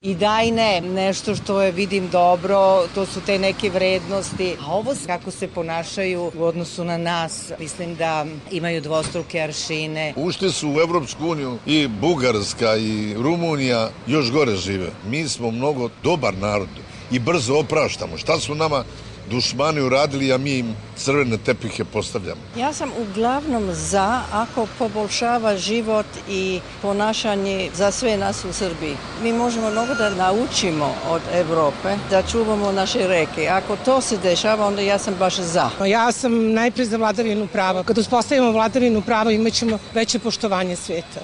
I da i ne, nešto što je vidim dobro, to su te neke vrednosti. A ovo kako se ponašaju u odnosu na nas, mislim da imaju dvostruke aršine. Ušli su u Evropsku uniju i Bugarska i Rumunija još gore žive. Mi smo mnogo dobar narod i brzo opraštamo. Šta su nama dušmani uradili, a mi im crvene tepihe postavljamo. Ja sam uglavnom za ako poboljšava život i ponašanje za sve nas u Srbiji. Mi možemo mnogo da naučimo od Evrope, da čuvamo naše reke. Ako to se dešava, onda ja sam baš za. Ja sam najpre za vladavinu prava. Kad uspostavimo vladavinu prava, imat ćemo veće poštovanje sveta.